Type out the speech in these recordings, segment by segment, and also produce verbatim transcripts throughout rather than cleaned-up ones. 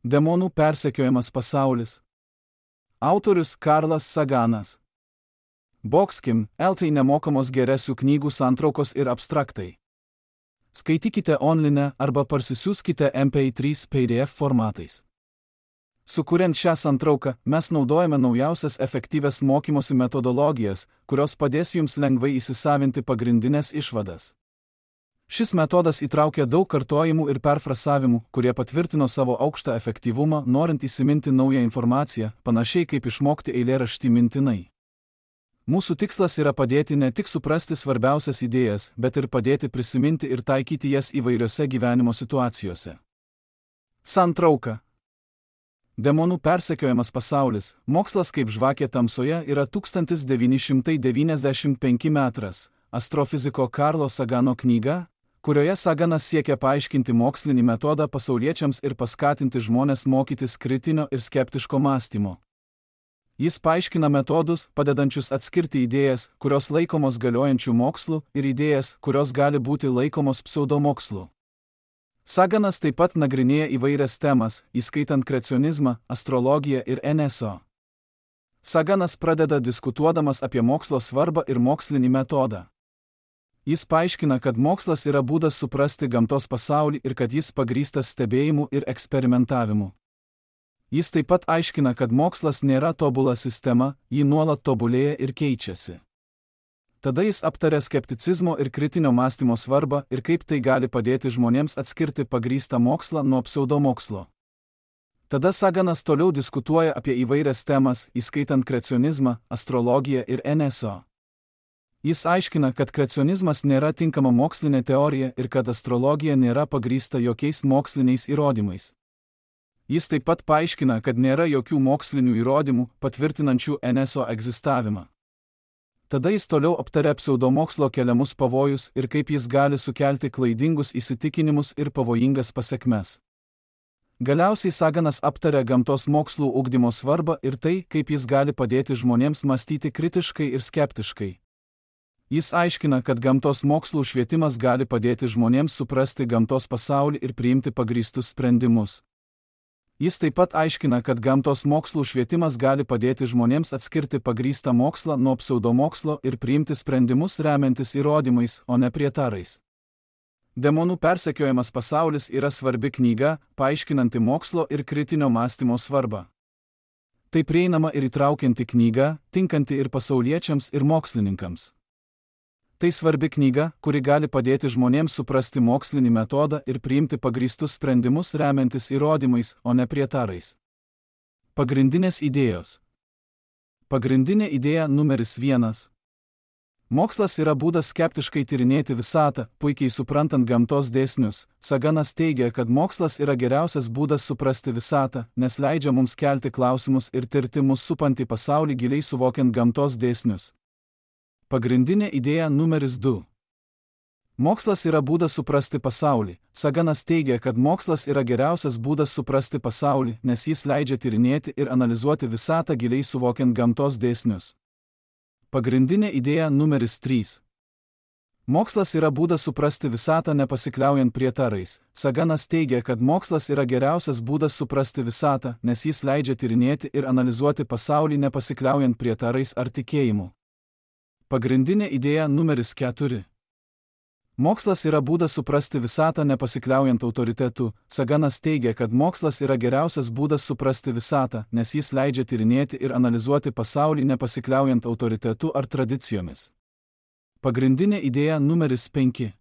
Demonų persekiojamas pasaulis. Autorius Karlas Saganas. Boxkim, L T nemokamos geresių knygų santraukos ir abstraktai. Skaitykite online arba parsisiųskite M P trys P D F formatais. Sukuriant šią santrauką, mes naudojame naujausias efektyvias mokymosi metodologijas, kurios padės jums lengvai įsisavinti pagrindinės išvadas. Šis metodas įtraukia daug kartojimų ir perfrasavimų, kurie patvirtino savo aukštą efektyvumą, norint įsiminti naują informaciją, panašiai kaip išmokti eilėraštį mintinai. Mūsų tikslas yra padėti ne tik suprasti svarbiausias idėjas, bet ir padėti prisiminti ir taikyti jas įvairiose gyvenimo situacijose. Santrauka. Demonų persekiojamas pasaulis, mokslas kaip žvakė tamsoje yra tūkstantis devyni šimtai devyniasdešimt penki metras, astrofiziko Karlo Sagano knyga, kurioje Saganas siekia paaiškinti mokslinį metodą pasauliečiams ir paskatinti žmones mokytis kritinio ir skeptiško mąstymo. Jis paaiškina metodus, padedančius atskirti idėjas, kurios laikomos galiojančių mokslų, ir idėjas, kurios gali būti laikomos pseudomokslu. Saganas taip pat nagrinėja įvairias temas, įskaitant kreacionizmą, astrologiją ir N S O. Saganas pradeda diskutuodamas apie mokslo svarbą ir mokslinį metodą. Jis paaiškina, kad mokslas yra būdas suprasti gamtos pasaulį ir kad jis pagrįstas stebėjimu ir eksperimentavimu. Jis taip pat aiškina, kad mokslas nėra tobula sistema, ji nuolat tobulėja ir keičiasi. Tada jis aptaria skepticizmo ir kritinio mąstymo svarbą ir kaip tai gali padėti žmonėms atskirti pagrįstą mokslą nuo pseudomokslo. Tada Saganas toliau diskutuoja apie įvairias temas, įskaitant kreacionizmą, astrologiją ir N S O. Jis aiškina, kad kreacionizmas nėra tinkama mokslinė teorija ir kad astrologija nėra pagrįsta jokiais moksliniais įrodymais. Jis taip pat paaiškina, kad nėra jokių mokslinių įrodymų, patvirtinančių N S O egzistavimą. Tada jis toliau aptaria pseudomokslo keliamus pavojus ir kaip jis gali sukelti klaidingus įsitikinimus ir pavojingas pasekmes. Galiausiai Saganas aptaria gamtos mokslų ugdymo svarbą ir tai, kaip jis gali padėti žmonėms mąstyti kritiškai ir skeptiškai. Jis aiškina, kad gamtos mokslų švietimas gali padėti žmonėms suprasti gamtos pasaulį ir priimti pagrįstus sprendimus. Jis taip pat aiškina, kad gamtos mokslų švietimas gali padėti žmonėms atskirti pagrįstą mokslą nuo pseudomokslo ir priimti sprendimus remiantis įrodymais, o ne prietarais. Demonų persekiojamas pasaulis yra svarbi knyga, paaiškinanti mokslo ir kritinio mąstymo svarbą. Tai prieinama ir įtraukianti knyga, tinkanti ir pasauliečiams, ir mokslininkams. Tai svarbi knyga, kuri gali padėti žmonėms suprasti mokslinį metodą ir priimti pagrįstus sprendimus remiantis įrodymais, o ne prietarais. Pagrindinės idėjos. Pagrindinė idėja numeris vienas. Mokslas yra būdas skeptiškai tyrinėti visatą, puikiai suprantant gamtos dėsnius. Saganas teigia, kad mokslas yra geriausias būdas suprasti visatą, nes leidžia mums kelti klausimus ir tirti mus supantį pasaulį giliai suvokiant gamtos dėsnius. Pagrindinė idėja numeris du. Mokslas yra būdas suprasti pasaulį. Saganas teigia, kad mokslas yra geriausias būdas suprasti pasaulį, nes jis leidžia tyrinėti ir analizuoti visatą giliai suvokiant gamtos dėsnius. Pagrindinė idėja numeris trys. Mokslas yra būdas suprasti visatą nepasikliaujant prietarais. Saganas teigia, kad mokslas yra geriausias būdas suprasti visatą, nes jis leidžia tyrinėti ir analizuoti pasaulį nepasikliaujant prietarais ar tikėjimu. Pagrindinė idėja numeris keturi. Mokslas yra būdas suprasti visatą nepasikliaujant autoritetu. Saganas teigia, kad mokslas yra geriausias būdas suprasti visatą, nes jis leidžia tyrinėti ir analizuoti pasaulį nepasikliaujant autoritetu ar tradicijomis. Pagrindinė idėja numeris penki.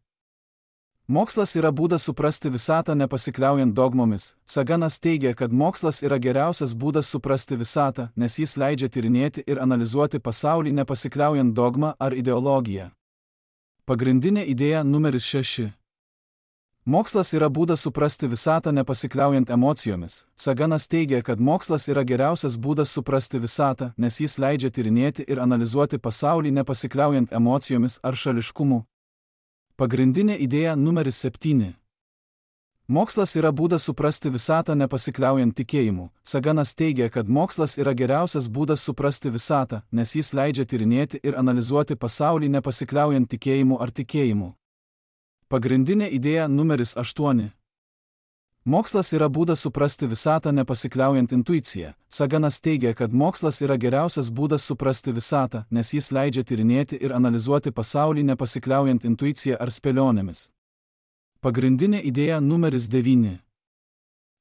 Mokslas yra būdas suprasti visatą nepasikliaujant dogmomis. Saganas teigia, kad mokslas yra geriausias būdas suprasti visatą, nes jis leidžia tyrinėti ir analizuoti pasaulį nepasikliaujant dogmą ar ideologiją. Pagrindinė idėja numeris šeši. Mokslas yra būdas suprasti visatą nepasikliaujant emocijomis. Saganas teigia, kad mokslas yra geriausias būdas suprasti visatą, nes jis leidžia tyrinėti ir analizuoti pasaulį nepasikliaujant emocijomis ar šališkumu. Pagrindinė idėja numeris septyni. Mokslas yra būdas suprasti visatą nepasikliaujant tikėjimu. Saganas teigia, kad mokslas yra geriausias būdas suprasti visatą, nes jis leidžia tyrinėti ir analizuoti pasaulį nepasikliaujant tikėjimu ar tikėjimu. Pagrindinė idėja numeris aštuoni. Mokslas yra būdas suprasti visatą nepasikliaujant intuicija. Saganas teigia, kad mokslas yra geriausias būdas suprasti visatą, nes jis leidžia tyrinėti ir analizuoti pasaulį nepasikliaujant intuicija ar spėlionėmis. Pagrindinė idėja numeris devyni.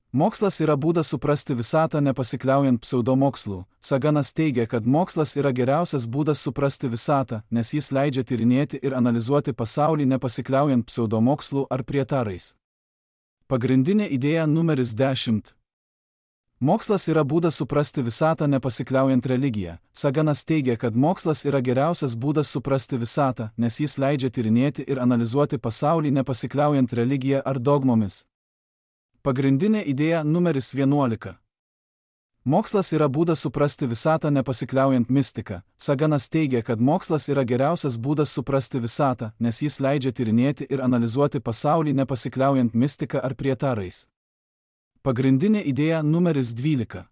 Mokslas yra būdas suprasti visatą nepasikliaujant pseudomokslų. Saganas teigia, kad mokslas yra geriausias būdas suprasti visatą, nes jis leidžia tyrinėti ir analizuoti pasaulį nepasikliaujant pseudomokslų ar prietarais. Pagrindinė idėja numeris dešimt. Mokslas yra būdas suprasti visatą nepasikliaujant religiją. Saganas teigia, kad mokslas yra geriausias būdas suprasti visatą, nes jis leidžia tyrinėti ir analizuoti pasaulį nepasikliaujant religiją ar dogmomis. Pagrindinė idėja numeris vienuolika. Mokslas yra būdas suprasti visatą nepasikliaujant mistika. Saganas teigia, kad mokslas yra geriausias būdas suprasti visatą, nes jis leidžia tyrinėti ir analizuoti pasaulį nepasikliaujant mistika ar prietarais. Pagrindinė idėja numeris dvylika.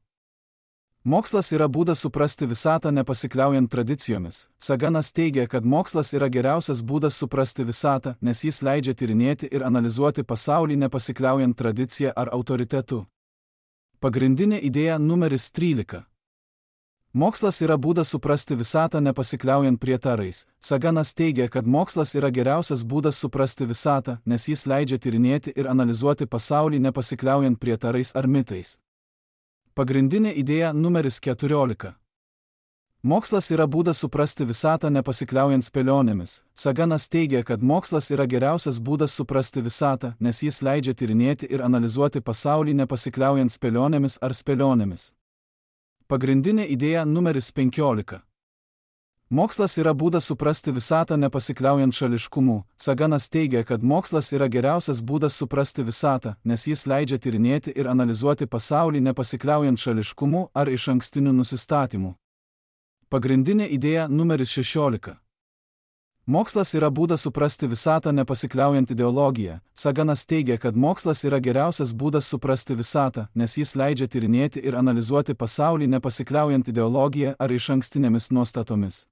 Mokslas yra būdas suprasti visatą nepasikliaujant tradicijomis. Saganas teigia, kad mokslas yra geriausias būdas suprasti visatą, nes jis leidžia tyrinėti ir analizuoti pasaulį nepasikliaujant tradicija ar autoritetu. Pagrindinė idėja numeris trylika. Mokslas yra būdas suprasti visatą nepasikliaujant prietarais. Saganas teigia, kad mokslas yra geriausias būdas suprasti visatą, nes jis leidžia tyrinėti ir analizuoti pasaulį nepasikliaujant prietarais ar mitais. Pagrindinė idėja numeris keturiolika. Mokslas yra būdas suprasti visatą nepasikliaujant spėlionėmis. Saganas teigia, kad mokslas yra geriausias būdas suprasti visatą, nes jis leidžia tyrinėti ir analizuoti pasaulį nepasikliaujant spėlionėmis ar spėlionėmis. Pagrindinė idėja numeris penkiolika. Mokslas yra būdas suprasti visatą nepasikliaujant šališkumu. Saganas teigia, kad mokslas yra geriausias būdas suprasti visatą, nes jis leidžia tyrinėti ir analizuoti pasaulį nepasikliaujant šališkumu ar išankstiniu nusistatymu. Pagrindinė idėja numeris šešiolika. Mokslas yra būdas suprasti visatą nepasikliaujant ideologiją. Saganas teigia, kad mokslas yra geriausias būdas suprasti visatą, nes jis leidžia tyrinėti ir analizuoti pasaulį nepasikliaujant ideologiją ar išankstinėmis nuostatomis.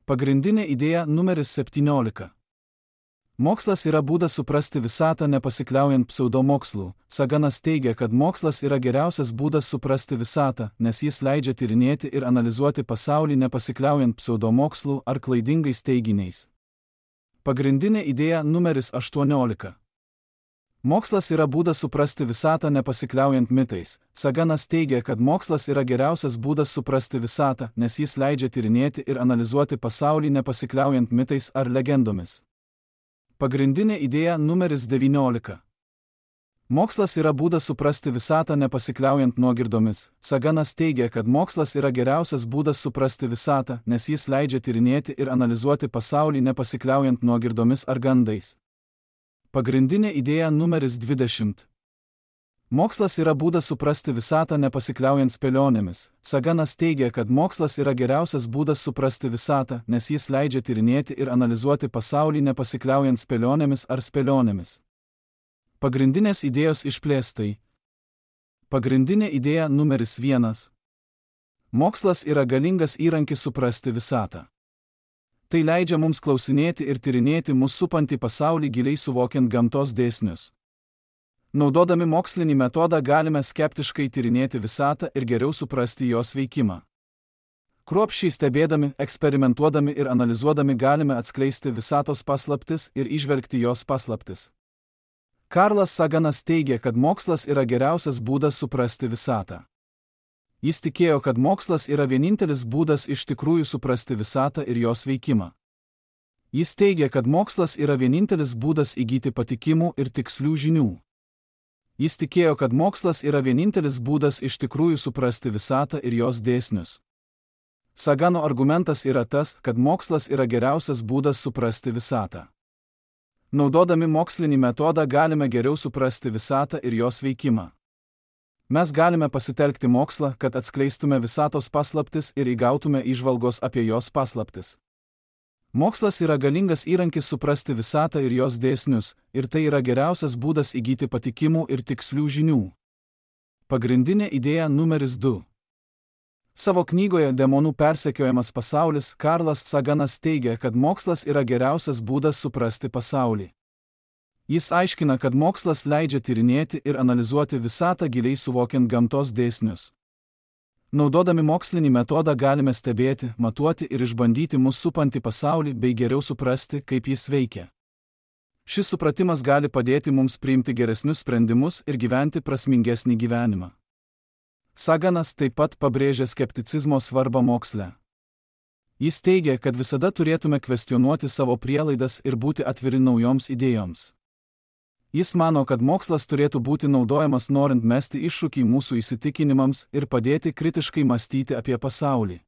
Pagrindinė idėja numeris septyniolika. Mokslas yra būdas suprasti visatą nepasikliaujant pseudomokslų. Saganas teigia, kad mokslas yra geriausias būdas suprasti visatą, nes jis leidžia tyrinėti ir analizuoti pasaulį nepasikliaujant pseudomokslų ar klaidingais teiginiais. Pagrindinė idėja numeris aštuoniolika. Mokslas yra būdas suprasti visatą nepasikliaujant mitais. Saganas teigia, kad mokslas yra geriausias būdas suprasti visatą, nes jis leidžia tyrinėti ir analizuoti pasaulį nepasikliaujant mitais ar legendomis. Pagrindinė idėja numeris devyniolika. Mokslas yra būdas suprasti visatą nepasikliaujant nuogirdomis. Saganas teigia, kad mokslas yra geriausias būdas suprasti visatą, nes jis leidžia tyrinėti ir analizuoti pasaulį nepasikliaujant nuogirdomis ar gandais. Pagrindinė idėja numeris dvidešimt. Mokslas yra būdas suprasti visatą nepasikliaujant spėlionėmis. Saganas teigia, kad mokslas yra geriausias būdas suprasti visatą, nes jis leidžia tyrinėti ir analizuoti pasaulį nepasikliaujant spėlionėmis ar spėlionėmis. Pagrindinės idėjos išplėstai. Pagrindinė idėja numeris vienas. Mokslas yra galingas įrankis suprasti visatą. Tai leidžia mums klausinėti ir tyrinėti mus supantį pasaulį giliai suvokiant gamtos dėsnius. Naudodami mokslinį metodą galime skeptiškai tyrinėti visatą ir geriau suprasti jos veikimą. Kruopščiai stebėdami, eksperimentuodami ir analizuodami galime atskleisti visatos paslaptis ir įžvelgti jos paslaptis. Karlas Saganas teigia, kad mokslas yra geriausias būdas suprasti visatą. Jis tikėjo, kad mokslas yra vienintelis būdas iš tikrųjų suprasti visatą ir jos veikimą. Jis teigia, kad mokslas yra vienintelis būdas įgyti patikimų ir tikslių žinių. Jis tikėjo, kad mokslas yra vienintelis būdas iš tikrųjų suprasti visatą ir jos dėsnius. Sagano argumentas yra tas, kad mokslas yra geriausias būdas suprasti visatą. Naudodami mokslinį metodą galime geriau suprasti visatą ir jos veikimą. Mes galime pasitelkti mokslą, kad atskleistume visatos paslaptis ir įgautume įžvalgos apie jos paslaptis. Mokslas yra galingas įrankis suprasti visatą ir jos dėsnius, ir tai yra geriausias būdas įgyti patikimų ir tikslių žinių. Pagrindinė idėja numeris du. Savo knygoje Demonų persekiojamas pasaulis Karlas Saganas teigia, kad mokslas yra geriausias būdas suprasti pasaulį. Jis aiškina, kad mokslas leidžia tyrinėti ir analizuoti visatą giliai suvokiant gamtos dėsnius. Naudodami mokslinį metodą galime stebėti, matuoti ir išbandyti mus supantį pasaulį bei geriau suprasti, kaip jis veikia. Šis supratimas gali padėti mums priimti geresnius sprendimus ir gyventi prasmingesnį gyvenimą. Saganas taip pat pabrėžia skepticizmo svarbą moksle. Jis teigia, kad visada turėtume kvestionuoti savo prielaidas ir būti atviri naujoms idėjoms. Jis mano, kad mokslas turėtų būti naudojamas norint mesti iššūkį mūsų įsitikinimams ir padėti kritiškai mąstyti apie pasaulį.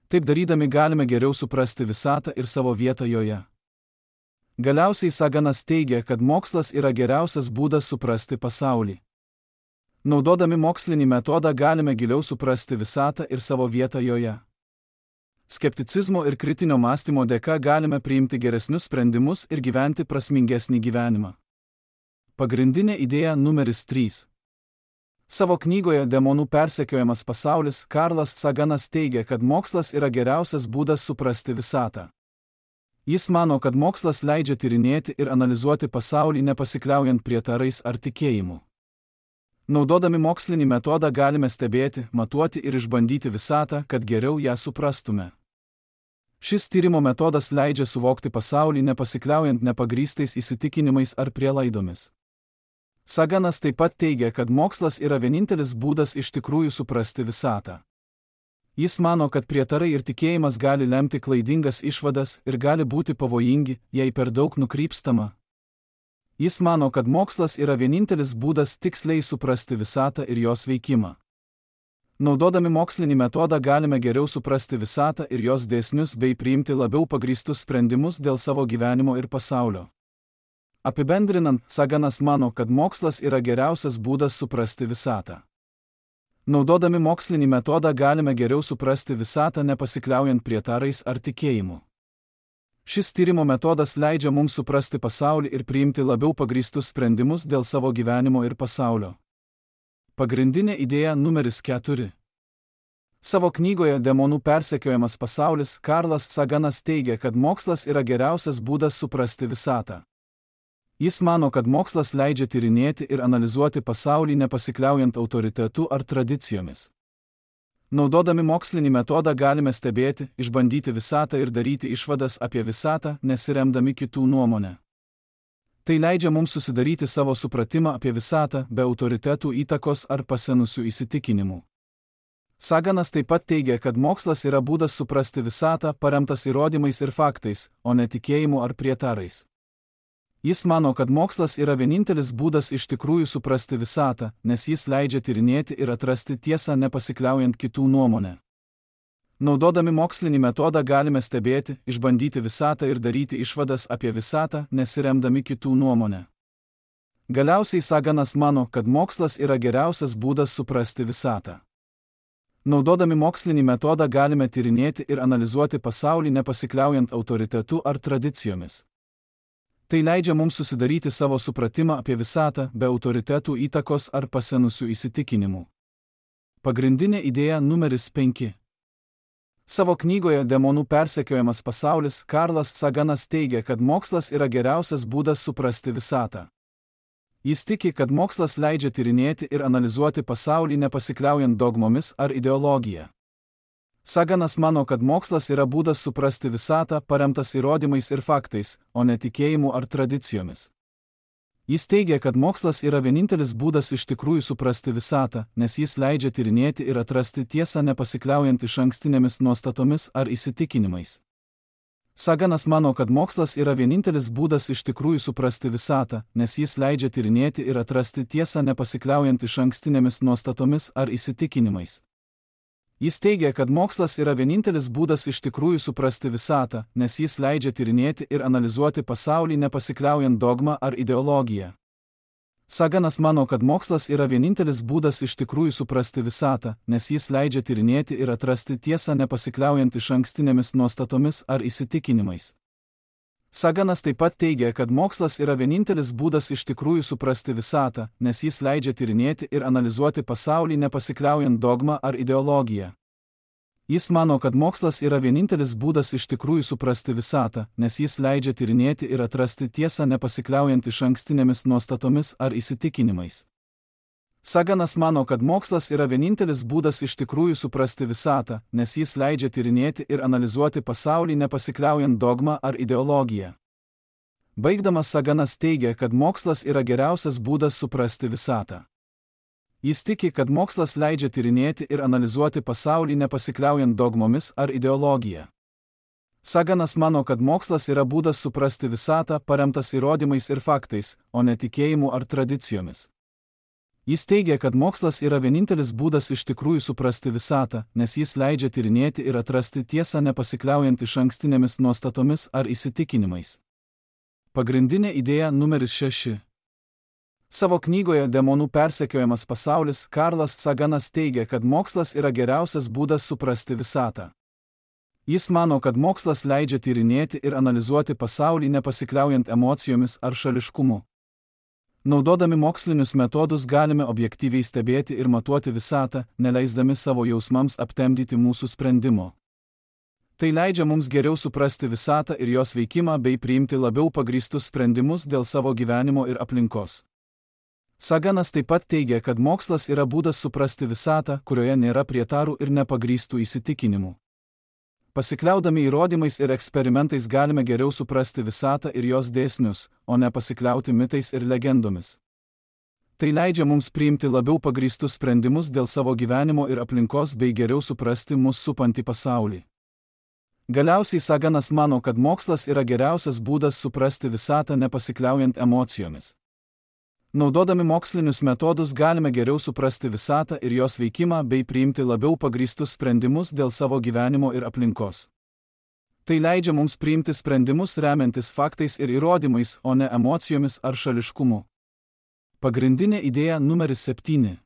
Taip darydami galime geriau suprasti visatą ir savo vietą joje. Galiausiai Saganas teigia, kad mokslas yra geriausias būdas suprasti pasaulį. Naudodami mokslinį metodą galime giliau suprasti visatą ir savo vietą joje. Skepticizmo ir kritinio mąstymo dėka galime priimti geresnius sprendimus ir gyventi prasmingesnį gyvenimą. Pagrindinė idėja numeris trys. Savo knygoje Demonų persekiojamas pasaulis Karlas Saganas teigia, kad mokslas yra geriausias būdas suprasti visatą. Jis mano, kad mokslas leidžia tyrinėti ir analizuoti pasaulį nepasikliaujant prietarais ar tikėjimu. Naudodami mokslinį metodą galime stebėti, matuoti ir išbandyti visatą, kad geriau ją suprastume. Šis tyrimo metodas leidžia suvokti pasaulį nepasikliaujant nepagrįstais įsitikinimais ar prielaidomis. Saganas taip pat teigia, kad mokslas yra vienintelis būdas iš tikrųjų suprasti visatą. Jis mano, kad prietarai ir tikėjimas gali lemti klaidingas išvadas ir gali būti pavojingi, jei per daug nukrypstama. Jis mano, kad mokslas yra vienintelis būdas tiksliai suprasti visatą ir jos veikimą. Naudodami mokslinį metodą galime geriau suprasti visatą ir jos dėsnius bei priimti labiau pagrįstus sprendimus dėl savo gyvenimo ir pasaulio. Apibendrinant, Saganas mano, kad mokslas yra geriausias būdas suprasti visatą. Naudodami mokslinį metodą galime geriau suprasti visatą nepasikliaujant prietarais ar tikėjimu. Šis tyrimo metodas leidžia mums suprasti pasaulį ir priimti labiau pagrįstus sprendimus dėl savo gyvenimo ir pasaulio. Pagrindinė idėja numeris keturi. Savo knygoje Demonų persekiojamas pasaulis Karlas Saganas teigia, kad mokslas yra geriausias būdas suprasti visatą. Jis mano, kad mokslas leidžia tyrinėti ir analizuoti pasaulį nepasikliaujant autoritetu ar tradicijomis. Naudodami mokslinį metodą galime stebėti, išbandyti visatą ir daryti išvadas apie visatą, nesiremdami kitų nuomonę. Tai leidžia mums susidaryti savo supratimą apie visatą be autoritetų įtakos ar pasenusių įsitikinimų. Saganas taip pat teigia, kad mokslas yra būdas suprasti visatą paremtas įrodymais ir faktais, o ne tikėjimu ar prietarais. Jis mano, kad mokslas yra vienintelis būdas iš tikrųjų suprasti visatą, nes jis leidžia tyrinėti ir atrasti tiesą nepasikliaujant kitų nuomonę. Naudodami mokslinį metodą galime stebėti, išbandyti visatą ir daryti išvadas apie visatą, nesiremdami kitų nuomonę. Galiausiai Saganas mano, kad mokslas yra geriausias būdas suprasti visatą. Naudodami mokslinį metodą galime tyrinėti ir analizuoti pasaulį nepasikliaujant autoritetu ar tradicijomis. Tai leidžia mums susidaryti savo supratimą apie visatą be autoritetų įtakos ar pasenusių įsitikinimų. Pagrindinė idėja numeris penki. Savo knygoje Demonų persekiojamas pasaulis Karlas Saganas teigia, kad mokslas yra geriausias būdas suprasti visatą. Jis tiki, kad mokslas leidžia tyrinėti ir analizuoti pasaulį nepasikliaujant dogmomis ar ideologija. Saganas mano, kad mokslas yra būdas suprasti visatą paremtas įrodymais ir faktais, o ne tikėjimu ar tradicijomis. Jis teigia, kad mokslas yra vienintelis būdas iš tikrųjų suprasti visatą, nes jis leidžia tyrinėti ir atrasti tiesą nepasikliaujant išankstinėmis nuostatomis ar įsitikinimais. Saganas mano, kad mokslas yra vienintelis būdas iš tikrųjų suprasti visatą, nes jis leidžia tyrinėti ir atrasti tiesą nepasikliaujant išankstinėmis nuostatomis ar įsitikinimais. Jis teigia, kad mokslas yra vienintelis būdas iš tikrųjų suprasti visatą, nes jis leidžia tyrinėti ir analizuoti pasaulį nepasikliaujant dogma ar ideologija. Saganas mano, kad mokslas yra vienintelis būdas iš tikrųjų suprasti visatą, nes jis leidžia tyrinėti ir atrasti tiesą nepasikliaujant išankstinėmis nuostatomis ar įsitikinimais. Saganas taip pat teigia, kad mokslas yra vienintelis būdas iš tikrųjų suprasti visatą, nes jis leidžia tyrinėti ir analizuoti pasaulį nepasikliaujant dogma ar ideologija. Jis mano, kad mokslas yra vienintelis būdas iš tikrųjų suprasti visatą, nes jis leidžia tyrinėti ir atrasti tiesą nepasikliaujant išankstinėmis nuostatomis ar įsitikinimais. Saganas mano, kad mokslas yra vienintelis būdas iš tikrųjų suprasti visatą, nes jis leidžia tyrinėti ir analizuoti pasaulį nepasikliaujant dogma ar ideologija. Baigdamas Saganas teigia, kad mokslas yra geriausias būdas suprasti visatą. Jis tiki, kad mokslas leidžia tyrinėti ir analizuoti pasaulį nepasikliaujant dogmomis ar ideologija. Saganas mano, kad mokslas yra būdas suprasti visatą paremtas įrodymais ir faktais, o ne tikėjimu ar tradicijomis. Jis teigia, kad mokslas yra vienintelis būdas iš tikrųjų suprasti visatą, nes jis leidžia tyrinėti ir atrasti tiesą nepasikliaujant išankstinėmis nuostatomis ar įsitikinimais. Pagrindinė idėja numeris šeši. Savo knygoje Demonų persekiojamas pasaulis Karlas Saganas teigia, kad mokslas yra geriausias būdas suprasti visatą. Jis mano, kad mokslas leidžia tyrinėti ir analizuoti pasaulį nepasikliaujant emocijomis ar šališkumu. Naudodami mokslinius metodus galime objektyviai stebėti ir matuoti visatą, neleisdami savo jausmams aptemdyti mūsų sprendimo. Tai leidžia mums geriau suprasti visatą ir jos veikimą bei priimti labiau pagrįstus sprendimus dėl savo gyvenimo ir aplinkos. Saganas taip pat teigia, kad mokslas yra būdas suprasti visatą, kurioje nėra prietarų ir nepagrįstų įsitikinimų. Pasikliaudami įrodymais ir eksperimentais galime geriau suprasti visatą ir jos dėsnius, o ne pasikliauti mitais ir legendomis. Tai leidžia mums priimti labiau pagrįstus sprendimus dėl savo gyvenimo ir aplinkos bei geriau suprasti mus supantį pasaulį. Galiausiai Saganas mano, kad mokslas yra geriausias būdas suprasti visatą nepasikliaujant emocijomis. Naudodami mokslinius metodus galime geriau suprasti visatą ir jos veikimą bei priimti labiau pagrįstus sprendimus dėl savo gyvenimo ir aplinkos. Tai leidžia mums priimti sprendimus remiantis faktais ir įrodymais, o ne emocijomis ar šališkumu. Pagrindinė idėja numeris septyni.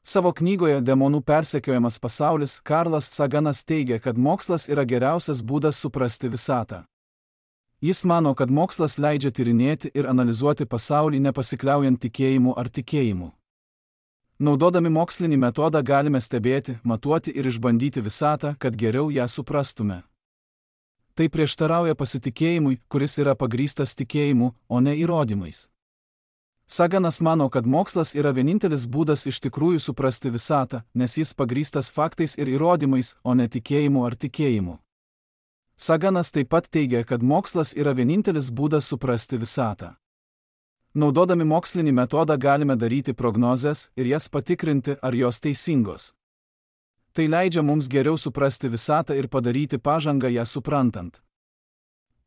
Savo knygoje Demonų persekiojamas pasaulis Karlas Saganas teigia, kad mokslas yra geriausias būdas suprasti visatą. Jis mano, kad mokslas leidžia tyrinėti ir analizuoti pasaulį nepasikliaujant tikėjimu ar tikėjimu. Naudodami mokslinį metodą galime stebėti, matuoti ir išbandyti visatą, kad geriau ją suprastume. Tai prieštarauja pasitikėjimui, kuris yra pagrįstas tikėjimu, o ne įrodymais. Saganas mano, kad mokslas yra vienintelis būdas iš tikrųjų suprasti visatą, nes jis pagrįstas faktais ir įrodymais, o ne tikėjimu ar tikėjimu. Saganas taip pat teigia, kad mokslas yra vienintelis būdas suprasti visatą. Naudodami mokslinį metodą galime daryti prognozes ir jas patikrinti, ar jos teisingos. Tai leidžia mums geriau suprasti visatą ir padaryti pažangą ją suprantant.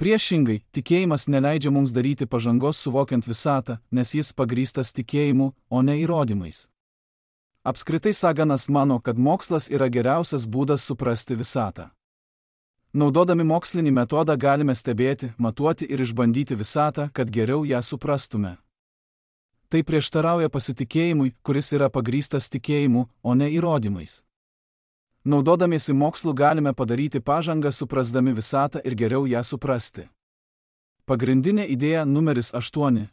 Priešingai, tikėjimas neleidžia mums daryti pažangos suvokiant visatą, nes jis pagrįstas tikėjimu, o ne įrodymais. Apskritai Saganas mano, kad mokslas yra geriausias būdas suprasti visatą. Naudodami mokslinį metodą galime stebėti, matuoti ir išbandyti visatą, kad geriau ją suprastume. Tai prieštarauja pasitikėjimui, kuris yra pagrįstas tikėjimu, o ne įrodymais. Naudodamiesi mokslu galime padaryti pažangą suprasdami visatą ir geriau ją suprasti. Pagrindinė idėja numeris aštuoni.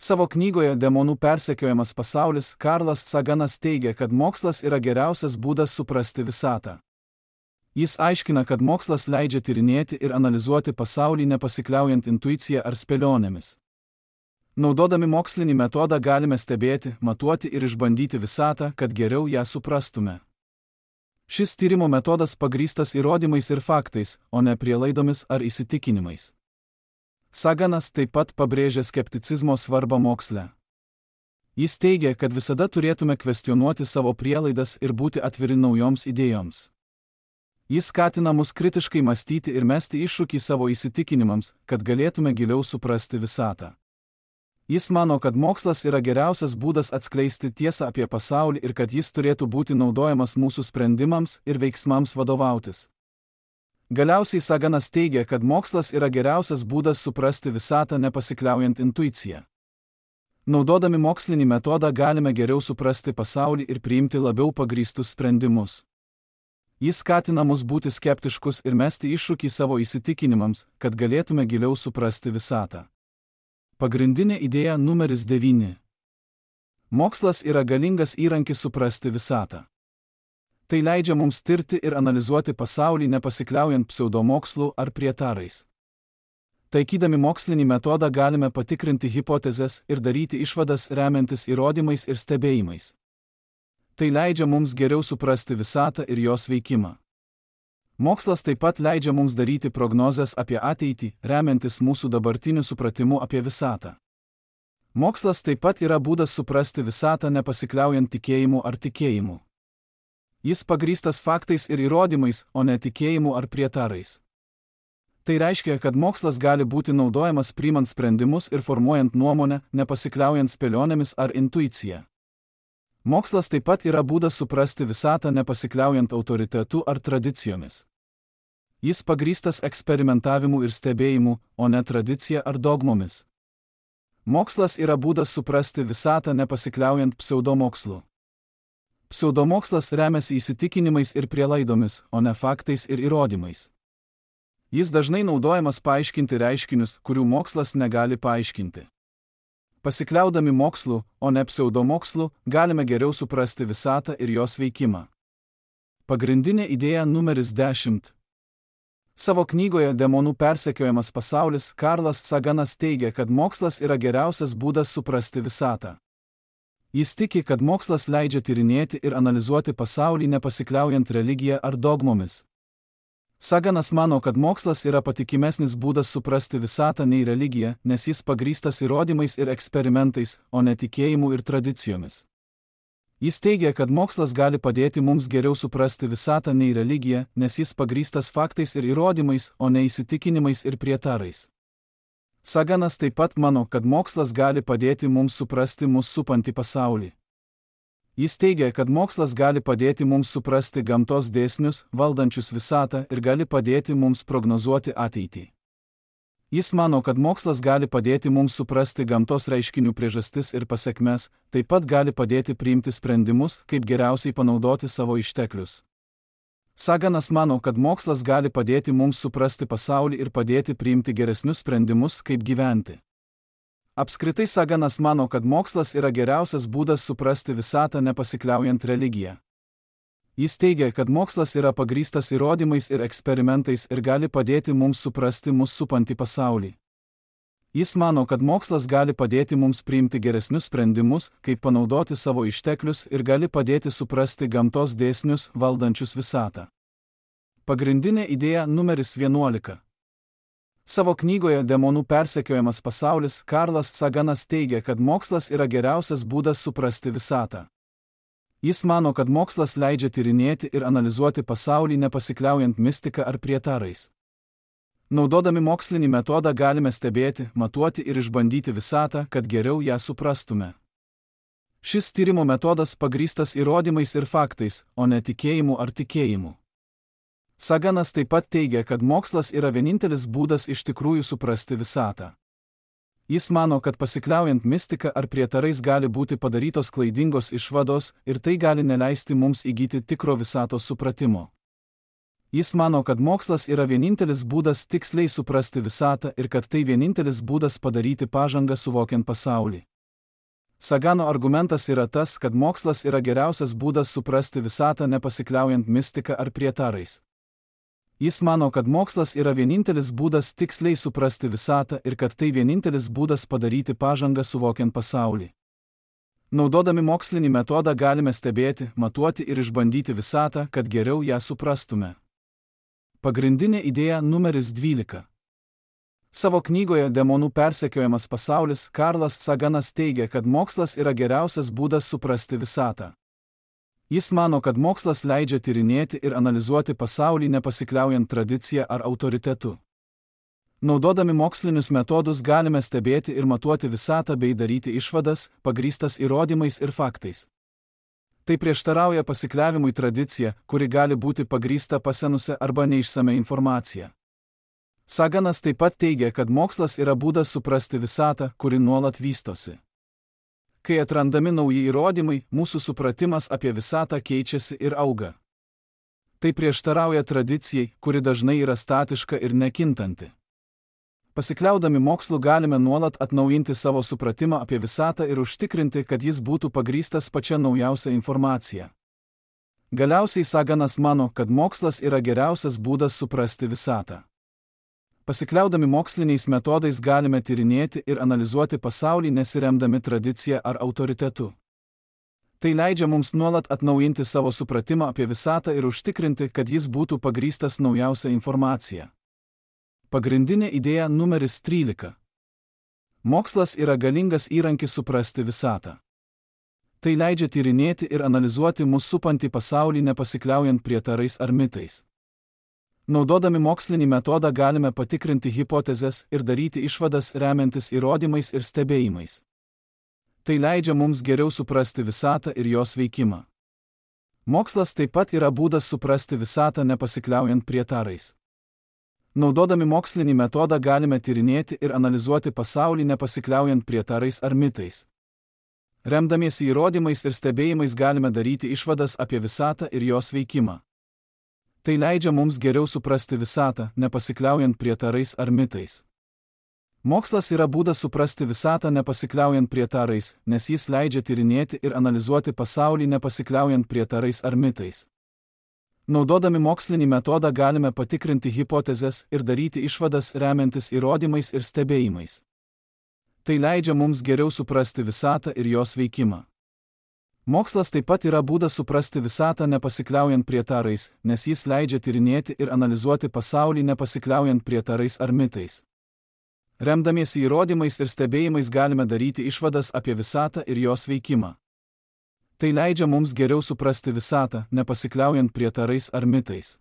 Savo knygoje Demonų persekiojamas pasaulis Karlas Saganas teigia, kad mokslas yra geriausias būdas suprasti visatą. Jis aiškina, kad mokslas leidžia tyrinėti ir analizuoti pasaulį nepasikliaujant intuicija ar spėlionėmis. Naudodami mokslinį metodą galime stebėti, matuoti ir išbandyti visatą, kad geriau ją suprastume. Šis tyrimo metodas pagrįstas įrodymais ir faktais, o ne prielaidomis ar įsitikinimais. Saganas taip pat pabrėžia skepticizmo svarbą moksle. Jis teigia, kad visada turėtume kvestionuoti savo prielaidas ir būti atviri naujoms idėjoms. Jis skatina mus kritiškai mąstyti ir mesti iššūkį savo įsitikinimams, kad galėtume giliau suprasti visatą. Jis mano, kad mokslas yra geriausias būdas atskleisti tiesą apie pasaulį ir kad jis turėtų būti naudojamas mūsų sprendimams ir veiksmams vadovautis. Galiausiai Saganas teigia, kad mokslas yra geriausias būdas suprasti visatą nepasikliaujant intuiciją. Naudodami mokslinį metodą galime geriau suprasti pasaulį ir priimti labiau pagrįstus sprendimus. Jis skatina mus būti skeptiškus ir mesti iššūkį savo įsitikinimams, kad galėtume giliau suprasti visatą. Pagrindinė idėja numeris devyni. Mokslas yra galingas įrankis suprasti visatą. Tai leidžia mums tirti ir analizuoti pasaulį nepasikliaujant pseudomokslų ar prietarais. Taikydami mokslinį metodą galime patikrinti hipotezes ir daryti išvadas remiantis įrodymais ir stebėjimais. Tai leidžia mums geriau suprasti visatą ir jos veikimą. Mokslas taip pat leidžia mums daryti prognozes apie ateitį, remiantis mūsų dabartiniu supratimu apie visatą. Mokslas taip pat yra būdas suprasti visatą nepasikliaujant tikėjimu ar tikėjimu. Jis pagrįstas faktais ir įrodymais, o ne tikėjimu ar prietarais. Tai reiškia, kad mokslas gali būti naudojamas priimant sprendimus ir formuojant nuomonę, nepasikliaujant spėlionėmis ar intuicija. Mokslas taip pat yra būdas suprasti visatą nepasikliaujant autoritetu ar tradicijomis. Jis pagrįstas eksperimentavimu ir stebėjimu, o ne tradicija ar dogmomis. Mokslas yra būdas suprasti visatą nepasikliaujant pseudomokslu. Pseudomokslas remiasi įsitikinimais ir prielaidomis, o ne faktais ir įrodymais. Jis dažnai naudojamas paaiškinti reiškinius, kurių mokslas negali paaiškinti. Pasikliaudami mokslu, o ne pseudomokslu, galime geriau suprasti visatą ir jos veikimą. Pagrindinė idėja numeris dešimt. Savo knygoje Demonų persekiojamas pasaulis Karlas Saganas teigia, kad mokslas yra geriausias būdas suprasti visatą. Jis tiki, kad mokslas leidžia tyrinėti ir analizuoti pasaulį nepasikliaujant religija ar dogmomis. Saganas mano, kad mokslas yra patikimesnis būdas suprasti visatą nei religija, nes jis pagrįstas įrodymais ir eksperimentais, o ne tikėjimu ir tradicijomis. Jis teigia, kad mokslas gali padėti mums geriau suprasti visatą nei religija, nes jis pagrįstas faktais ir įrodymais, o ne įsitikinimais ir prietarais. Saganas taip pat mano, kad mokslas gali padėti mums suprasti mus supantį pasaulį. Jis teigia, kad mokslas gali padėti mums suprasti gamtos dėsnius, valdančius visatą ir gali padėti mums prognozuoti ateitį. Jis mano, kad mokslas gali padėti mums suprasti gamtos reiškinių priežastis ir pasekmes, taip pat gali padėti priimti sprendimus, kaip geriausiai panaudoti savo išteklius. Saganas mano, kad mokslas gali padėti mums suprasti pasaulį ir padėti priimti geresnius sprendimus, kaip gyventi. Apskritai Saganas mano, kad mokslas yra geriausias būdas suprasti visatą nepasikliaujant religiją. Jis teigia, kad mokslas yra pagrįstas įrodymais ir eksperimentais ir gali padėti mums suprasti mus supantį pasaulį. Jis mano, kad mokslas gali padėti mums priimti geresnius sprendimus, kaip panaudoti savo išteklius ir gali padėti suprasti gamtos dėsnius, valdančius visatą. Pagrindinė idėja numeris vienuolika. Savo knygoje Demonų persekiojamas pasaulis Karlas Saganas teigia, kad mokslas yra geriausias būdas suprasti visatą. Jis mano, kad mokslas leidžia tyrinėti ir analizuoti pasaulį nepasikliaujant mistika ar prietarais. Naudodami mokslinį metodą galime stebėti, matuoti ir išbandyti visatą, kad geriau ją suprastume. Šis tyrimo metodas pagrįstas įrodymais ir faktais, o ne tikėjimu ar tikėjimu. Saganas taip pat teigia, kad mokslas yra vienintelis būdas iš tikrųjų suprasti visatą. Jis mano, kad pasikliaujant mistika ar prietarais gali būti padarytos klaidingos išvados ir tai gali neleisti mums įgyti tikro visatos supratimo. Jis mano, kad mokslas yra vienintelis būdas tiksliai suprasti visatą ir kad tai vienintelis būdas padaryti pažangą suvokiant pasaulį. Sagano argumentas yra tas, kad mokslas yra geriausias būdas suprasti visatą nepasikliaujant mistika ar prietarais. Jis mano, kad mokslas yra vienintelis būdas tiksliai suprasti visatą ir kad tai vienintelis būdas padaryti pažangą suvokiant pasaulį. Naudodami mokslinį metodą galime stebėti, matuoti ir išbandyti visatą, kad geriau ją suprastume. Pagrindinė idėja numeris dvylika. Savo knygoje Demonų persekiojamas pasaulis Karlas Saganas teigia, kad mokslas yra geriausias būdas suprasti visatą. Jis mano, kad mokslas leidžia tyrinėti ir analizuoti pasaulį nepasikliaujant tradicija ar autoritetu. Naudodami mokslinius metodus galime stebėti ir matuoti visatą bei daryti išvadas, pagrįstas įrodymais ir faktais. Tai prieštarauja pasikliavimui tradicija, kuri gali būti pagrįsta pasenusią arba neišsame informacija. Saganas taip pat teigia, kad mokslas yra būdas suprasti visatą, kuri nuolat vystosi. Kai atrandami nauji įrodymai, mūsų supratimas apie visatą keičiasi ir auga. Tai prieštarauja tradicijai, kuri dažnai yra statiška ir nekintanti. Pasikliaudami mokslu galime nuolat atnaujinti savo supratimą apie visatą ir užtikrinti, kad jis būtų pagrįstas pačia naujausia informacija. Galiausiai Saganas mano, kad mokslas yra geriausias būdas suprasti visatą. Pasikliaudami moksliniais metodais galime tyrinėti ir analizuoti pasaulį nesiremdami tradicija ar autoritetu. Tai leidžia mums nuolat atnaujinti savo supratimą apie visatą ir užtikrinti, kad jis būtų pagrįstas naujausia informacija. Pagrindinė idėja numeris trylika. Mokslas yra galingas įrankis suprasti visatą. Tai leidžia tyrinėti ir analizuoti mus supantį pasaulį nepasikliaujant prietarais ar mitais. Naudodami mokslinį metodą galime patikrinti hipotezes ir daryti išvadas remiantis įrodymais ir stebėjimais. Tai leidžia mums geriau suprasti visatą ir jos veikimą. Mokslas taip pat yra būdas suprasti visatą nepasikliaujant prietarais. Naudodami mokslinį metodą galime tyrinėti ir analizuoti pasaulį nepasikliaujant prietarais ar mitais. Remdamiesi įrodymais ir stebėjimais galime daryti išvadas apie visatą ir jos veikimą. Tai leidžia mums geriau suprasti visatą, nepasikliaujant prietarais ar mitais. Mokslas yra būdas suprasti visatą nepasikliaujant prietarais, nes jis leidžia tyrinėti ir analizuoti pasaulį nepasikliaujant prietarais ar mitais. Naudodami mokslinį metodą galime patikrinti hipotezes ir daryti išvadas remiantis įrodymais ir stebėjimais. Tai leidžia mums geriau suprasti visatą ir jos veikimą. Mokslas taip pat yra būdas suprasti visatą nepasikliaujant prietarais, nes jis leidžia tyrinėti ir analizuoti pasaulį nepasikliaujant prietarais ar mitais. Remdamiesi įrodymais ir stebėjimais galime daryti išvadas apie visatą ir jos veikimą. Tai leidžia mums geriau suprasti visatą, nepasikliaujant prietarais ar mitais.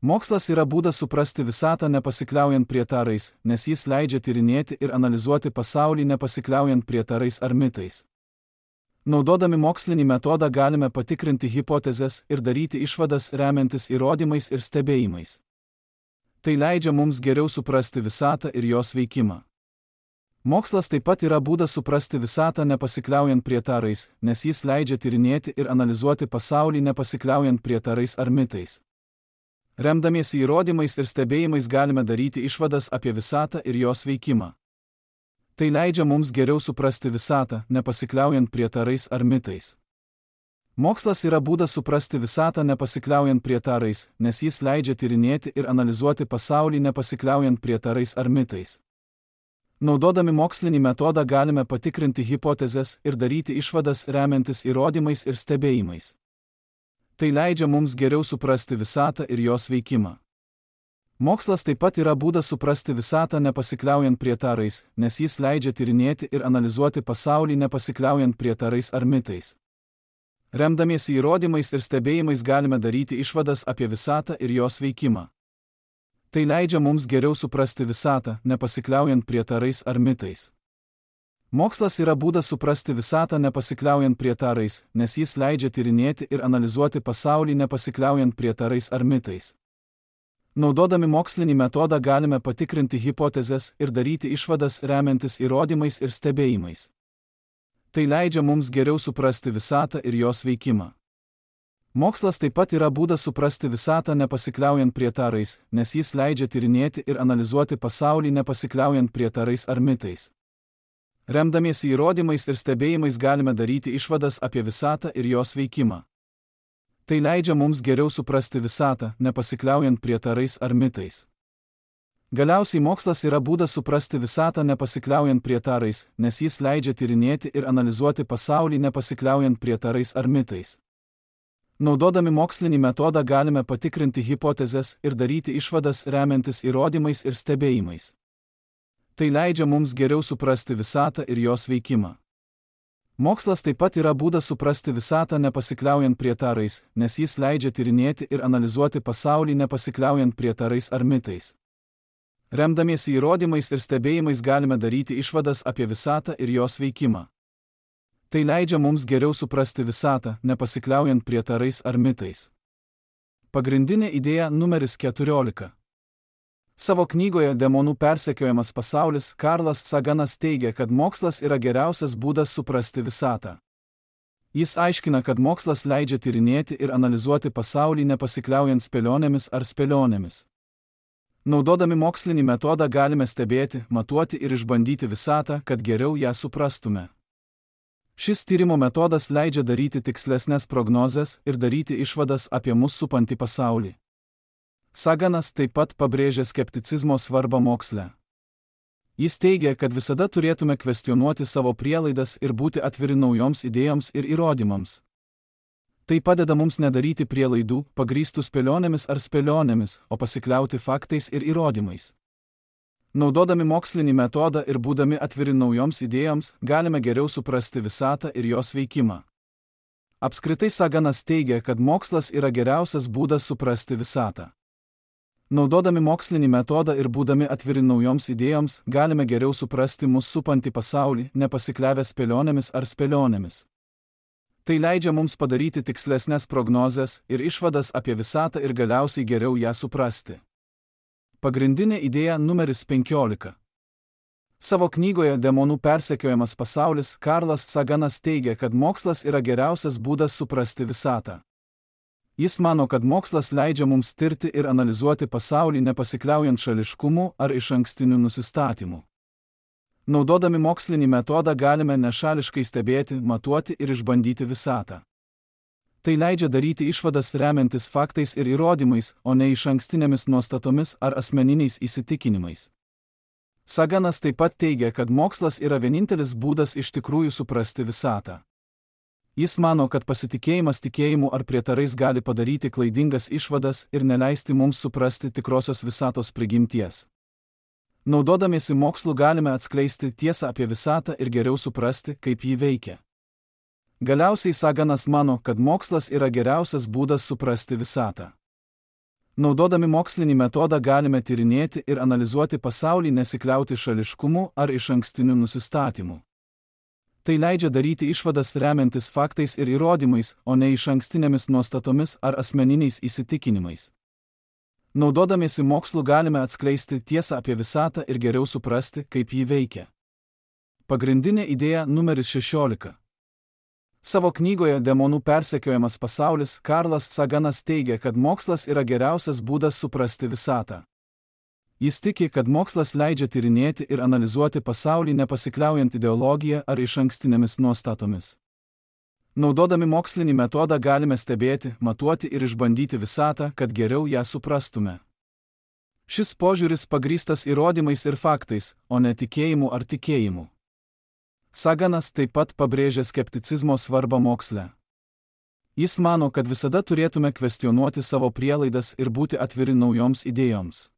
Mokslas yra būdas suprasti visatą nepasikliaujant prietarais, nes jis leidžia tyrinėti ir analizuoti pasaulį nepasikliaujant prietarais ar mitais. Naudodami mokslinį metodą galime patikrinti hipotezes ir daryti išvadas remiantis įrodymais ir stebėjimais. Tai leidžia mums geriau suprasti visatą ir jos veikimą. Mokslas taip pat yra būdas suprasti visatą nepasikliaujant prietarais, nes jis leidžia tyrinėti ir analizuoti pasaulį nepasikliaujant prietarais ar mitais. Remdamiesi įrodymais ir stebėjimais galime daryti išvadas apie visatą ir jos veikimą. Tai leidžia mums geriau suprasti visatą, nepasikliaujant prietarais ar mitais. Mokslas yra būdas suprasti visatą nepasikliaujant prietarais, nes jis leidžia tyrinėti ir analizuoti pasaulį nepasikliaujant prietarais ar mitais. Naudodami mokslinį metodą galime patikrinti hipotezes ir daryti išvadas remiantis įrodymais ir stebėjimais. Tai leidžia mums geriau suprasti visatą ir jos veikimą. Mokslas taip pat yra būdas suprasti visatą nepasikliaujant prietarais, nes jis leidžia tyrinėti ir analizuoti pasaulį nepasikliaujant prietarais ar mitais. Remdamiesi įrodymais ir stebėjimais galime daryti išvadas apie visatą ir jos veikimą. Tai leidžia mums geriau suprasti visatą, nepasikliaujant prietarais ar mitais. Mokslas yra būdas suprasti visatą nepasikliaujant prietarais, nes jis leidžia tyrinėti ir analizuoti pasaulį nepasikliaujant prietarais ar mitais. Naudodami mokslinį metodą galime patikrinti hipotezes ir daryti išvadas remiantis įrodymais ir stebėjimais. Tai leidžia mums geriau suprasti visatą ir jos veikimą. Mokslas taip pat yra būdas suprasti visatą nepasikliaujant prietarais, nes jis leidžia tyrinėti ir analizuoti pasaulį nepasikliaujant prietarais ar mitais. Remdamiesi įrodymais ir stebėjimais galime daryti išvadas apie visatą ir jos veikimą. Tai leidžia mums geriau suprasti visatą, nepasikliaujant prietarais ar mitais. Galiausiai mokslas yra būdas suprasti visatą nepasikliaujant prietarais, nes jis leidžia tyrinėti ir analizuoti pasaulį nepasikliaujant prietarais ar mitais. Naudodami mokslinį metodą galime patikrinti hipotezes ir daryti išvadas remiantis įrodymais ir stebėjimais. Tai leidžia mums geriau suprasti visatą ir jos veikimą. Mokslas taip pat yra būdas suprasti visatą nepasikliaujant prietarais, nes jis leidžia tyrinėti ir analizuoti pasaulį nepasikliaujant prietarais ar mitais. Remdamiesi įrodymais ir stebėjimais galime daryti išvadas apie visatą ir jos veikimą. Tai leidžia mums geriau suprasti visatą, nepasikliaujant prietarais ar mitais. Pagrindinė idėja numeris keturiolika. Savo knygoje Demonų persekiojamas pasaulis Karlas Saganas teigia, kad mokslas yra geriausias būdas suprasti visatą. Jis aiškina, kad mokslas leidžia tyrinėti ir analizuoti pasaulį nepasikliaujant spėlionėmis ar spėlionėmis. Naudodami mokslinį metodą galime stebėti, matuoti ir išbandyti visatą, kad geriau ją suprastume. Šis tyrimo metodas leidžia daryti tikslesnės prognozes ir daryti išvadas apie mus supantį pasaulį. Saganas taip pat pabrėžia skepticizmo svarbą moksle. Jis teigia, kad visada turėtume kvestionuoti savo prielaidas ir būti atviri naujoms idėjoms ir įrodymams. Tai padeda mums nedaryti prielaidų, pagrįstų spėlionėmis ar spėlionėmis, o pasikliauti faktais ir įrodymais. Naudodami mokslinį metodą ir būdami atviri naujoms idėjoms, galime geriau suprasti visatą ir jos veikimą. Apskritai Saganas teigia, kad mokslas yra geriausias būdas suprasti visatą. Naudodami mokslinį metodą ir būdami atviri naujoms idėjoms, galime geriau suprasti mus supantį pasaulį, nepasikliavę spėlionėmis ar spėlionėmis. Tai leidžia mums padaryti tikslesnės prognozes ir išvadas apie visatą ir galiausiai geriau ją suprasti. Pagrindinė idėja numeris penkiolika. Savo knygoje Demonų persekiojamas pasaulis Karlas Saganas teigia, kad mokslas yra geriausias būdas suprasti visatą. Jis mano, kad mokslas leidžia mums tirti ir analizuoti pasaulį nepasikliaujant šališkumu ar išankstiniu nusistatymu. Naudodami mokslinį metodą galime nešališkai stebėti, matuoti ir išbandyti visatą. Tai leidžia daryti išvadas remiantis faktais ir įrodymais, o ne išankstinėmis nuostatomis ar asmeniniais įsitikinimais. Saganas taip pat teigia, kad mokslas yra vienintelis būdas iš tikrųjų suprasti visatą. Jis mano, kad pasitikėjimas tikėjimu ar prietarais gali padaryti klaidingas išvadas ir neleisti mums suprasti tikrosios visatos prigimties. Naudodamiesi mokslu galime atskleisti tiesą apie visatą ir geriau suprasti, kaip ji veikia. Galiausiai Saganas mano, kad mokslas yra geriausias būdas suprasti visatą. Naudodami mokslinį metodą galime tyrinėti ir analizuoti pasaulį nesikliauti šališkumu ar išankstiniu nusistatymu. Tai leidžia daryti išvadas remiantis faktais ir įrodymais, o ne išankstinėmis nuostatomis ar asmeniniais įsitikinimais. Naudodamiesi mokslu galime atskleisti tiesą apie visatą ir geriau suprasti, kaip ji veikia. Pagrindinė idėja numeris šešiolika. Savo knygoje Demonų persekiojamas pasaulis Karlas Saganas teigia, kad mokslas yra geriausias būdas suprasti visatą. Jis tiki, kad mokslas leidžia tyrinėti ir analizuoti pasaulį nepasikliaujant ideologiją ar išankstinėmis nuostatomis. Naudodami mokslinį metodą galime stebėti, matuoti ir išbandyti visatą, kad geriau ją suprastume. Šis požiūris pagrįstas įrodymais ir faktais, o ne tikėjimu ar tikėjimu. Saganas taip pat pabrėžia skepticizmo svarbą moksle. Jis mano, kad visada turėtume kvestionuoti savo prielaidas ir būti atviri naujoms idėjoms.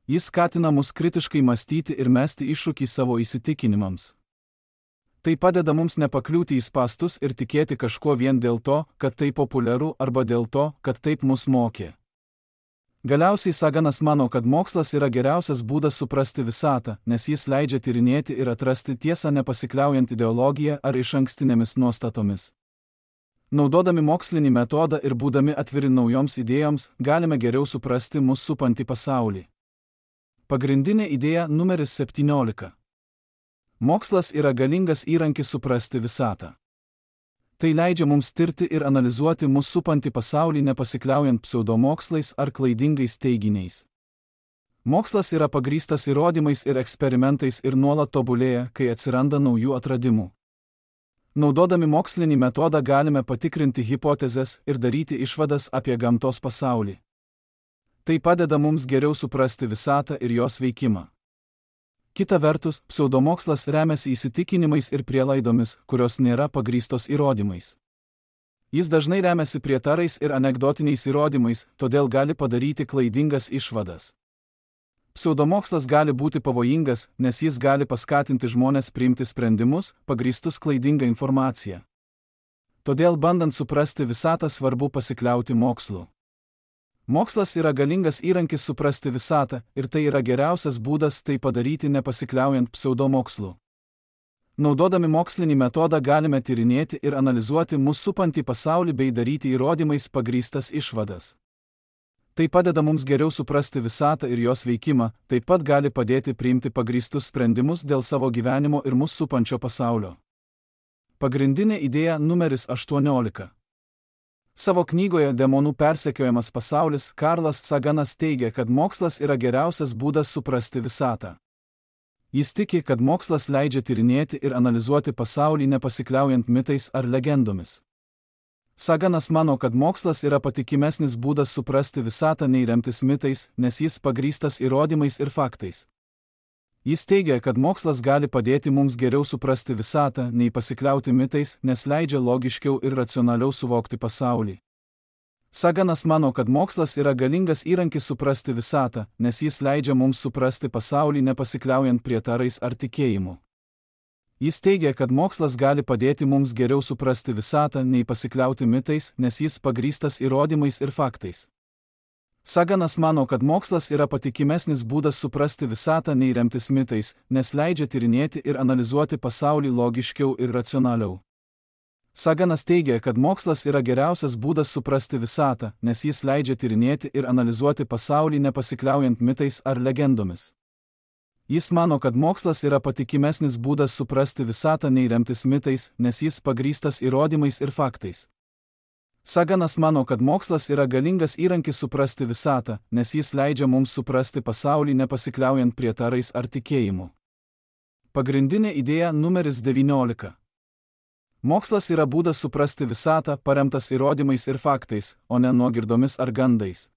Jis skatina mus kritiškai mąstyti ir mesti iššūkį savo įsitikinimams. Tai padeda mums nepakliūti į spąstus ir tikėti kažkuo vien dėl to, kad tai populiaru arba dėl to, kad taip mus mokė. Galiausiai Saganas mano, kad mokslas yra geriausias būdas suprasti visatą, nes jis leidžia tyrinėti ir atrasti tiesą nepasikliaujant ideologiją ar išankstinėmis nuostatomis. Naudodami mokslinį metodą ir būdami atviri naujoms idėjoms, galime geriau suprasti mus supantį pasaulį. Pagrindinė idėja numeris septyniolika. Mokslas yra galingas įrankis suprasti visatą. Tai leidžia mums tirti ir analizuoti mus supantį pasaulį nepasikliaujant pseudomokslais ar klaidingais teiginiais. Mokslas yra pagrįstas įrodymais ir eksperimentais ir nuolat tobulėja, kai atsiranda naujų atradimų. Naudodami mokslinį metodą galime patikrinti hipotezes ir daryti išvadas apie gamtos pasaulį. Tai padeda mums geriau suprasti visatą ir jos veikimą. Kita vertus, pseudomokslas remiasi įsitikinimais ir prielaidomis, kurios nėra pagrįstos įrodymais. Jis dažnai remiasi prietarais ir anekdotiniais įrodymais, todėl gali padaryti klaidingas išvadas. Pseudomokslas gali būti pavojingas, nes jis gali paskatinti žmones priimti sprendimus, pagrįstus klaidinga informacija. Todėl bandant suprasti visatą svarbu pasikliauti mokslu. Mokslas yra galingas įrankis suprasti visatą ir tai yra geriausias būdas tai padaryti nepasikliaujant pseudomokslu. Naudodami mokslinį metodą galime tyrinėti ir analizuoti mus supantį pasaulį bei daryti įrodymais pagrįstas išvadas. Tai padeda mums geriau suprasti visatą ir jos veikimą, taip pat gali padėti priimti pagrįstus sprendimus dėl savo gyvenimo ir mus supančio pasaulio. Pagrindinė idėja numeris aštuoniolika. Savo knygoje Demonų persekiojamas pasaulis Karlas Saganas teigia, kad mokslas yra geriausias būdas suprasti visatą. Jis tiki, kad mokslas leidžia tyrinėti ir analizuoti pasaulį nepasikliaujant mitais ar legendomis. Saganas mano, kad mokslas yra patikimesnis būdas suprasti visatą nei remtis mitais, nes jis pagrįstas įrodymais ir faktais. Jis teigia, kad mokslas gali padėti mums geriau suprasti visatą, nei pasikliauti mitais, nes leidžia logiškiau ir racionaliau suvokti pasaulį. Saganas mano, kad mokslas yra galingas įrankis suprasti visatą, nes jis leidžia mums suprasti pasaulį nepasikliaujant prietarais ar tikėjimu. Jis teigia, kad mokslas gali padėti mums geriau suprasti visatą, nei pasikliauti mitais, nes jis pagrįstas įrodymais ir faktais. Saganas mano, kad mokslas yra patikimesnis būdas suprasti visatą, nei remtis mitais, nes leidžia tyrinėti ir analizuoti pasaulį logiškiau ir racionaliau. Saganas teigia, kad mokslas yra geriausias būdas suprasti visatą, nes jis leidžia tyrinėti ir analizuoti pasaulį nepasikliaujant mitais ar legendomis. Jis mano, kad mokslas yra patikimesnis būdas suprasti visatą, nei remtis mitais, nes jis pagrįstas įrodymais ir faktais. Saganas mano, kad mokslas yra galingas įrankis suprasti visatą, nes jis leidžia mums suprasti pasaulį nepasikliaujant prietarais ar tikėjimu. Pagrindinė idėja numeris devyniolika. Mokslas yra būdas suprasti visatą, paremtas įrodymais ir faktais, o ne nuogirdomis ar gandais.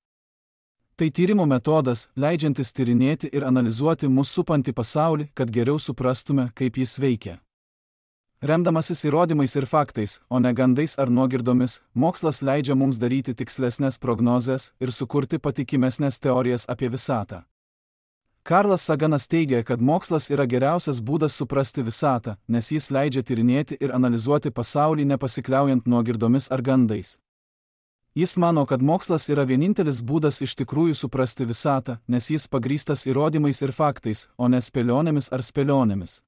Tai tyrimo metodas, leidžiantis tyrinėti ir analizuoti mus supantį pasaulį, kad geriau suprastume, kaip jis veikia. Remdamasis įrodymais ir faktais, o ne gandais ar nuogirdomis, mokslas leidžia mums daryti tikslesnės prognozes ir sukurti patikimesnės teorijas apie visatą. Karlas Saganas teigia, kad mokslas yra geriausias būdas suprasti visatą, nes jis leidžia tyrinėti ir analizuoti pasaulį nepasikliaujant nuogirdomis ar gandais. Jis mano, kad mokslas yra vienintelis būdas iš tikrųjų suprasti visatą, nes jis pagrįstas įrodymais ir faktais, o ne spėlionėmis ar spėlionėmis.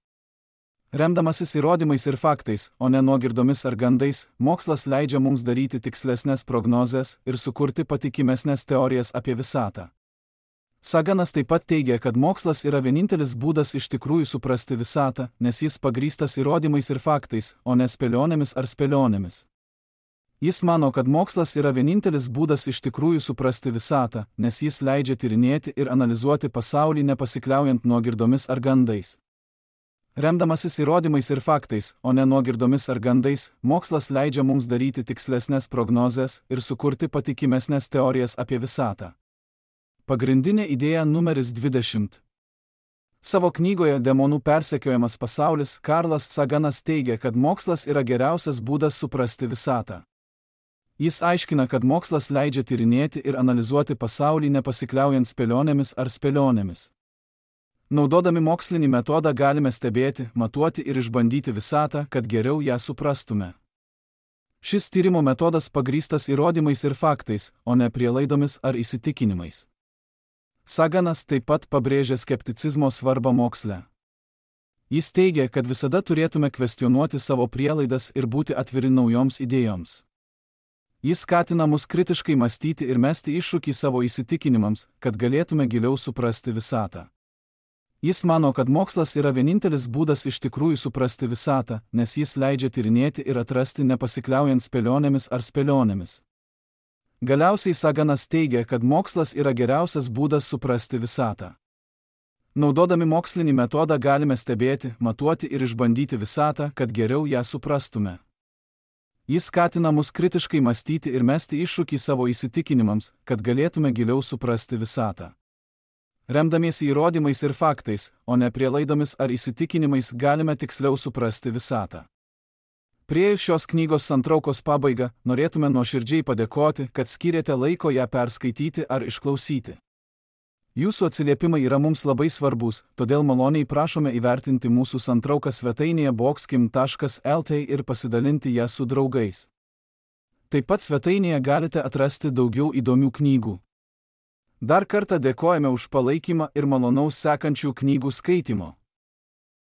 Remdamasis įrodymais ir faktais, o ne nuogirdomis ar gandais, mokslas leidžia mums daryti tikslesnės prognozes ir sukurti patikimesnės teorijas apie visatą. Saganas taip pat teigia, kad mokslas yra vienintelis būdas iš tikrųjų suprasti visatą, nes jis pagrįstas įrodymais ir faktais, o ne spėlionėmis ar spėlionėmis. Jis mano, kad mokslas yra vienintelis būdas iš tikrųjų suprasti visatą, nes jis leidžia tyrinėti ir analizuoti pasaulį nepasikliaujant nuogirdomis ar gandais. Remdamasis įrodymais ir faktais, o ne nuogirdomis ar gandais, mokslas leidžia mums daryti tikslesnės prognozes ir sukurti patikimesnės teorijas apie visatą. Pagrindinė idėja numeris dvidešimt. Savo knygoje Demonų persekiojamas pasaulis Karlas Saganas teigia, kad mokslas yra geriausias būdas suprasti visatą. Jis aiškina, kad mokslas leidžia tyrinėti ir analizuoti pasaulį nepasikliaujant spėlionėmis ar spėlionėmis. Naudodami mokslinį metodą galime stebėti, matuoti ir išbandyti visatą, kad geriau ją suprastume. Šis tyrimo metodas pagrįstas įrodymais ir faktais, o ne prielaidomis ar įsitikinimais. Saganas taip pat pabrėžia skepticizmo svarbą moksle. Jis teigia, kad visada turėtume kvestionuoti savo prielaidas ir būti atviri naujoms idėjoms. Jis skatina mus kritiškai mąstyti ir mesti iššūkį savo įsitikinimams, kad galėtume giliau suprasti visatą. Jis mano, kad mokslas yra vienintelis būdas iš tikrųjų suprasti visatą, nes jis leidžia tyrinėti ir atrasti nepasikliaujant spėlionėmis ar spėlionėmis. Galiausiai Saganas teigia, kad mokslas yra geriausias būdas suprasti visatą. Naudodami mokslinį metodą galime stebėti, matuoti ir išbandyti visatą, kad geriau ją suprastume. Jis skatina mus kritiškai mąstyti ir mesti iššūkį savo įsitikinimams, kad galėtume giliau suprasti visatą. Remdamiesi įrodymais ir faktais, o ne prielaidomis ar įsitikinimais, galime tiksliau suprasti visatą. Priėjus šios knygos santraukos pabaigą, norėtume nuoširdžiai padėkoti, kad skyrėte laiko ją perskaityti ar išklausyti. Jūsų atsiliepimai yra mums labai svarbus, todėl maloniai prašome įvertinti mūsų santrauką svetainėje boxkim taškas lt ir pasidalinti ją su draugais. Taip pat svetainėje galite atrasti daugiau įdomių knygų. Dar kartą dėkojame už palaikymą ir malonaus sekančių knygų skaitimo.